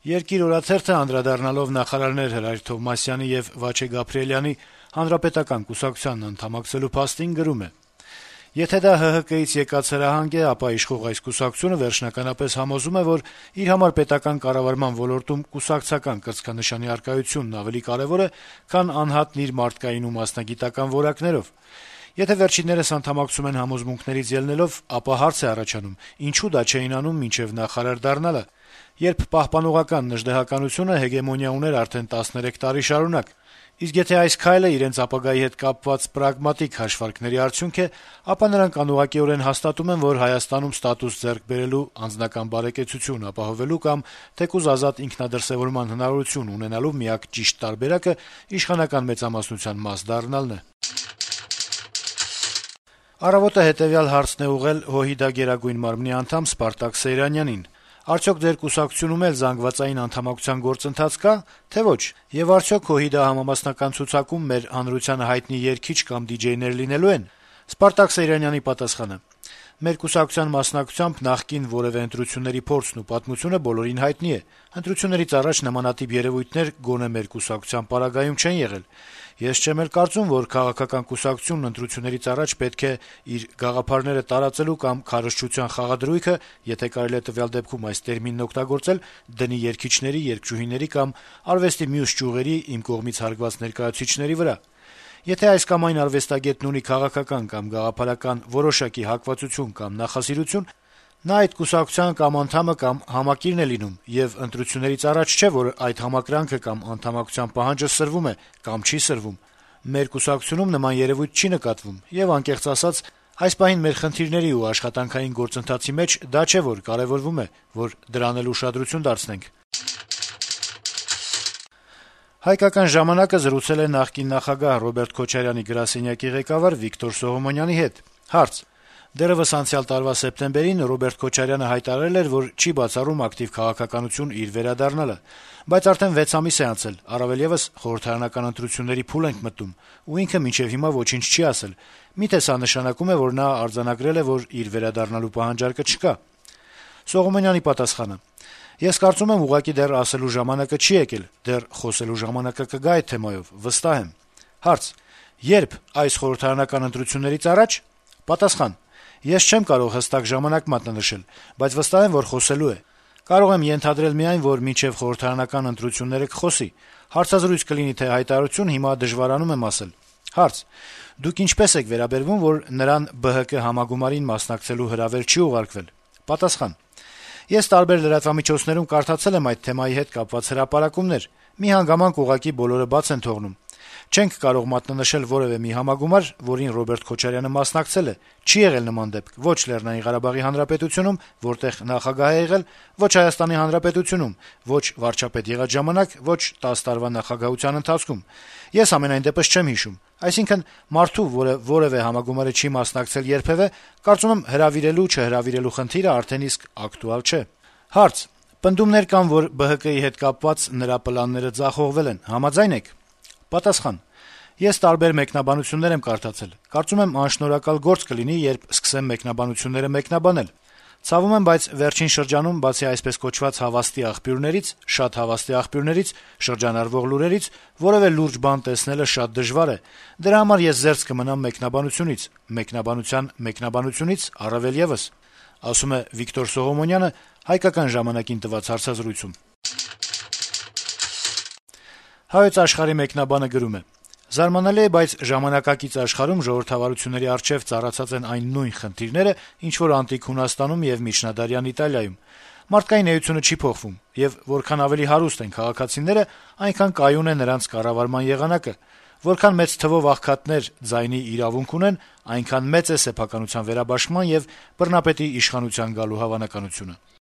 Երկիր օրաթերթը անդրադառնալով նախարարներ Հրայր Թովմասյանի եւ Վաչե Գաբրիելյանի Հանրապետական կուսակցությանն անդամակցելու փաստին գրում է. - «Եթե դա ՀՀԿ-ից եկած հրահանգ է, ապա իշխող այս կուսակցությունը վերջնականապես համոզում է, որ իր համար պետական կառավարման ոլորտում կուսակցական կրծքանշանի առկայությունն ավելի կարեւոր է, քան անհատն իր մարդկային ու մասնագիտական որակներով։ Եթե վերջիններս անդամակցում են համոզմունքներից ելնելով, ապա հարց է առաջանում՝ ինչու դա չէին անում մինչեւ նախարար դառնալը, երբ պահպանողական նժդեհականությունը հեգեմոնիա ուներ արդեն 13 տարի շարունակ։ Իսկ եթե այս քայլը իրենց ապագայի հետ կապված պրագմատիկ հաշվարկների արդյունք է, ապա նրանք անուղղակիորեն հաստատում են, որ Հայաստանում ստատուս ձեռք բերելու, անձնական բարեկեցություն ապահովելու կամ թեկուզ ազատ ինքնադրսեւորման հնարավորություն ունենալու միակ ճիշտ տարբերակը իշխանական մեծամասնության մաս դառնալն է»։ «Առավոտ»-ը հետեւյալ հարցն է ուղղել ՀՅԴ Գերագույն մարմնի անդամ Սպարտակ Սեյրանյանին. - «Արդյոք ձեր կուսակցությունում էլ զանգվածային անդամակցության գործընթաց կա, թե ոչ, եւ արդյոք ՀՅԴ համամասնական ցուցակում մեր հանրությանը հայտնի երգիչ կամ դիջեյներ լինելու են»։ Սպարտակ Սեյրանյանի պատասխանը. - «Մեր կուսակցության մասնակցությամբ նախկին որեւէ ընտրությունների փորձն ու պատմությունը բոլորին հայտնի է. ընտրություններից առաջ նմանատիպ երեւույթներ գոնե մեր կուսակցության պարագայում չեն եղել։ Ես չեմ էլ կարծում, որ քաղաքական կուսակցությունն ընտրություններից առաջ պետք է իր գաղափարները տարածելու կամ քարոզչության խաղադրույքը, եթե կարելի է տվյալ դեպքում այս տերմինն օգտագործել, դնի երգիչների, երգչուհիների կամ արվեստի մյուս ճյուղերի իմ կողմից հարգված ներկայացուցիչների վրա։ Եթե այս կամ այն արվեստագետն ունի քաղաքական կամ գաղափարական որոշակի հակվածություն կամ նախասիրություն, նա այդ կուսակցության կամ անդամը կամ համակիրն է լինում, եւ ընտրություններից առաջ չէ, որ այդ համակրանքը կամ անդամակցության պահանջը սրվում է կամ չի սրվում։ Մեր կուսակցությունում նման երեւույթ չի նկատվում, եւ անկեղծ ասած, այս պահին մեր խնդիրների ու աշխատանքային գործընթացի մեջ դա չէ, որ կարեւորվում է, որ դրան էլ ուշադրություն դարձնենք»։ «Հայկական ժամանակ»-ը զրուցել է նախկին նախագահ Ռոբերտ Քոչարյանի գրասենյակի ղեկավար Վիկտոր Սողոմոնյանի հետ։ Հարց. - «Դեռեւս անցյալ տարվա սեպտեմբերին Ռոբերտ Քոչարյանը հայտարարել էր, որ չի բացառում ակտիվ քաղաքականություն իր վերադառնալը, բայց արդեն 6 ամիս է անցել, առավել եւս խորհրդարանական ընտրությունների փուլ ենք մտնում, ու ինքը մինչեւ հիմա ոչինչ չի ասել։ Միթե սա նշանակում է, որ նա արձանագրել է, որ իր վերադառնալու պահանջարկը չկա»։ Սողոմոնյանի պատասխանը. - «Ես կարծում եմ, ուղղակի դեռ ասելու ժամանակը չի եկել, դեռ խոսելու ժամանակը կգա այդ թեմայով, վստահ եմ»։ Հարց. - «Երբ, այս խորհրդարանական ընտրություններից առաջ»։ Պատասխան. - «Ես չեմ կարող հստակ ժամանակ մատնանշել, բայց վստահ եմ, որ խոսելու է։ Կարող եմ ենթադրել միայն, որ մինչեւ խորհրդարանական ընտրությունները կխոսի։ Հարցազրույց կլինի թե հայտարարություն, հիմա դժվարանում եմ ասել»։ Հարց. - «Դուք ինչպես եք վերաբերվում, որ նրան ԲՀԿ համագումարին մասնակցելու հրավեր չի ուղարկվել»։ Պատասխան. - «Ես տարբեր լրատվամիջոցներում կարդացել եմ այդ թեմայի հետ կապված հրապարակումներ։ Մի հանգամանք ուղղակի բոլորը բաց են թողնում։ Չենք կարող մատնանշել որեւէ մի համագումար, որին Ռոբերտ Քոչարյանը մասնակցել է։ Չի եղել նման դեպք ո՛չ Լեռնային Ղարաբաղի Հանրապետությունում, որտեղ նախագահ է եղել, ո՛չ Հայաստանի Հանրապետությունում, ո՛չ վարչապետ եղած ժամանակ, ո՛չ 10 տարվա նախագահության ընթացքում։ Ես ամենայն դեպս չեմ հիշում։ Այսինքն՝ մարդու, որը որեւէ համագումարի չի մասնակցել երբեւէ, կարծում եմ հրավիրելու-չհրավիրելու խնդիրը արդեն իսկ ակտուալ չէ»։ Հարց. - «Պնդումներ կան, որ ԲՀԿ-ի հետ կապված նրա պլանները ձախողվել են, համաձայն եք»։ Պատասխան. - «Ես տարբեր մեկնաբանություններ եմ կարդացել։ Կարծում եմ անշնորհակալ գործ կլինի, երբ սկսեմ մեկնաբանությունները մեկնաբանել։ Ցավում եմ, բայց վերջին շրջանում, բացի այսպես կոչված հավաստի աղբյուրներից, շատ հավաստի աղբյուրներից, շրջանառվող լուրերից, որեւէ լուրջ բան տեսնելը շատ դժվար է։ Դրա համար ես զերծ կմնամ մեկնաբանությունից, մեկնաբանության մեկնաբանությունից առավել եւս», ասում է Վիկտոր Սողոմոնյանը «Հայկական ժամանակ»-ին տված հարցազրույցում։ «Հայոց Աշխարհ»-ի մեկնաբանը գրում է. - «Զարմանալի է, բայց ժամանակակից աշխարհում ժողովրդավարությունների առջեւ ծառացած են այն նույն խնդիրները, ինչ որ անտիկ Հունաստանում եւ միջնադարյան Իտալիայում։ Մարդկային էությունը չի փոխվում, եւ որքան ավելի հարուստ են քաղաքացիները, այնքան կայուն է նրանց կառավարման եղանակը։ Որքան մեծ թվով աղքատներ ձայնի իրավունք ունեն, այնքան մեծ է սեփականության վերաբաշխման եւ բռնապետի իշխանության գալու հավանականությունը»։